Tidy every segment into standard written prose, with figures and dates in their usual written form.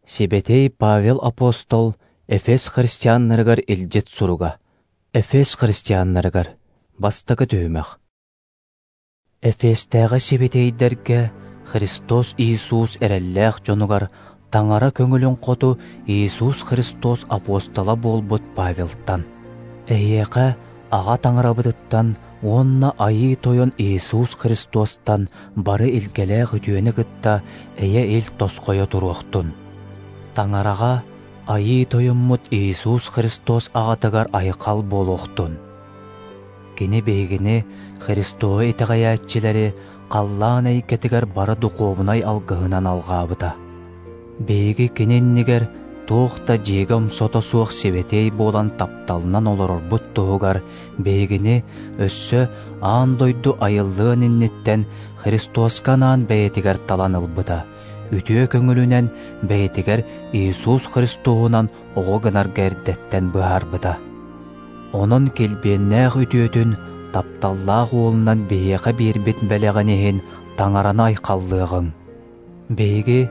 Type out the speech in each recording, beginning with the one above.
Сибэтиэй Павел апостол Эфес христианнарыгар илдьит суруга. Эфес христианнарыгар. Бастакы түһүмэх. Эфестээҕи сибэтиэйдэргэ Христос Иисус эрэллээх дьонугар Таҥара көҥүлүн хоту Иисус Христос апостола буолбут Павелтан. Эһиэхэ Аҕа Таҥарабытыттан уонна Айыы Тойон Иисус Христостан бары илгэлээх үтүөнү кытта эйэ-ил тосхойо туруохтун. Таҥараҕа Айыы Тойоммут Иисус Христос Аҕатыгар айхал буолуохтун. Кини биһигини, Христоһу итэҕэйээччилэри, халлаан эйгэтигэр бары духуобунай алгыһынан алҕаабыта. Биһиги кини иннигэр туох да дьиэгэ омсото суох сибэтиэй буолан тапталынан олорорбут туһугар биһигини өссө аан дойду айыллыан инниттэн Христоска анаан бэйэтигэр талан ылбыта, үтүө көҥүлүнэн бэйэтигэр Иисус Христоһунан оҕо гынарга эрдэттэн быһаарбыта. Онон килбиэннээх үтүөтүн тапталлаах уолунан биһиэхэ биэрбит бэлэҕин иһин Таҥараны айхаллыаҕыҥ. Биһиги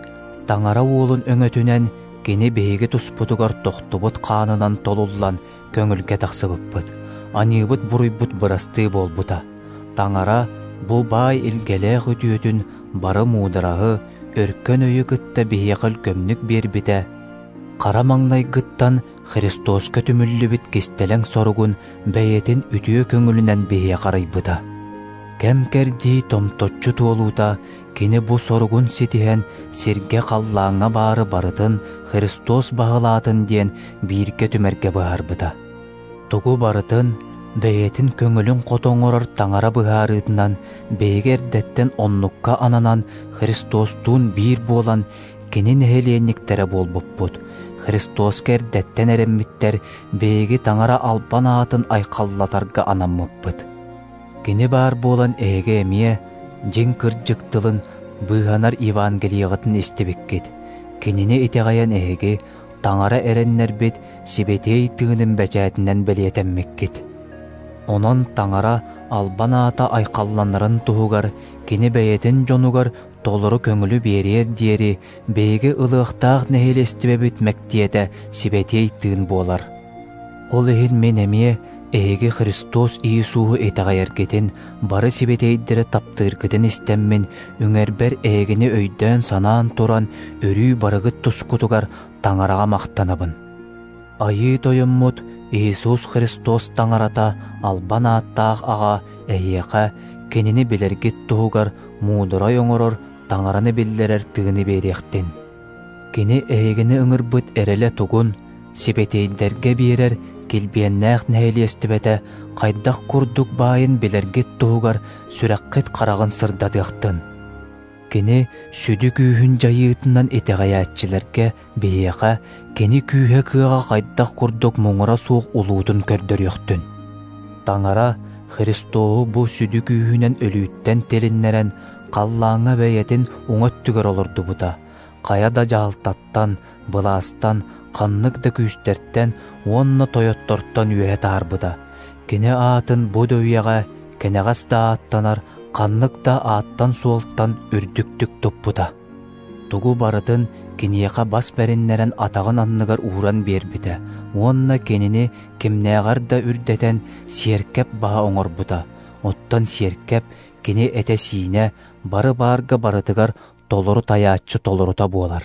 Таҥара уолун өҥөтүнэн кини биһиги туспутугар тохтубут хаанынан толуллан көҥүлгэ тахсыбыппыт, аньыыбыт-буруйбут бырастыы буолбута. Таҥара бу баай илгэлээх үтүөтүн бары муудараһы, өркөн өйү кытта биһиэхэ өлгөмнүк биэрбитэ, хара маҥнайгыттан Христоска түмүллүбүт кистэлэҥ соругун бэйэтин үтүө көҥүлүнэн биһиэхэ арыйбыта. Кэм-кэрдии томточчу туолуута кини бу соругун ситиһэн сиргэ-халлааҥҥа баары барытын Христос баһылаатын диэн бииргэ түмэргэ быһаарбыта. Тугу барытын бэйэтин көҥүлүн хото оҥорор Таҥара быһаарыытынан биһиги эрдэттэн оннукка ананан Христостуун биир буолан кини нэһилиэнньиктэрэ буолбуппут. Христоска эрдэттэн эрэммиттэр биһиги Таҥара албан аатын айхаллатарга анаммыппыт. Кини баар буолан эһиги эмиэ дьиҥ кырдьык тылын быыһанар Евангелиеҕытын истибиккит. Кинини итэҕэйэн эһиги Таҥара эрэннэрбит Сибэтиэй Тыынын бэчээтинэн бэлиэтэммиккит. Онон Таҥара албан аата айхалланарын туһугар кини бэйэтин дьонугар толору көҥүлү биэриэр диэри биһиги ылыахтаах нэһилиэстибэбит мэктиэтэ Сибэтиэй Тыын буолар. Ол иһин мин эмиэ эһиги Христос Иисуһу итэҕэйэргитин, бары сибэтиэйдэри таптыыргытын истэммин, үҥэрбэр эһигини өйдөөн-санаан туран, өрүү барыгыт тускутугар Таҥараҕа махтанабын. Айыы Тойоммут Иисус Христос Таҥарата албан ааттаах Аҕа эһиэхэ Кинини билэргит туһугар муударай оҥорор Таҥараны биллэрэр тыыны биэриэхтин. Кини эһигини ыҥырбыт эрэлэ тугун, сибэтиэйдэргэ биэрэр килбиэннээх нэһилиэстибэтэ хайдах курдук баайын билэргит туһугар сүрэххит хараҕын сырдатыахтын. Кини сүдү күүһүн дьайыытынан итэҕэйээччилэргэ биһиэхэ кини күүһэ-кыаҕа хайдах курдук муҥура суох улуутун көрдөрүөхтүн. Таҥара Христоһу бу сүдү күүһүнэн өлүүттэн тилиннэрэн халлааҥҥа бэйэтин уҥа өттүгэр олордубута, хайа да дьаһалтаттан, былаастан, ханнык да күүстэртэн уонна тойоттортон үөһэ таһаарбыта. Кини аатын бу да үйэҕэ кэнэҕэс да ааттанар ханнык да ааттан-суолтан үрдүктүк туппута. Тугу барытын киниэхэ бас бэриннэрэн атаҕын анныгар ууран биэрбитэ уонна кинини кимнээҕэр да үрдэтэн сиэркэп баһа оҥорбута. Оттон сиэркэп кини этэ-сиинэ бары баарга барытыгар толору тайааччы толорута буолар.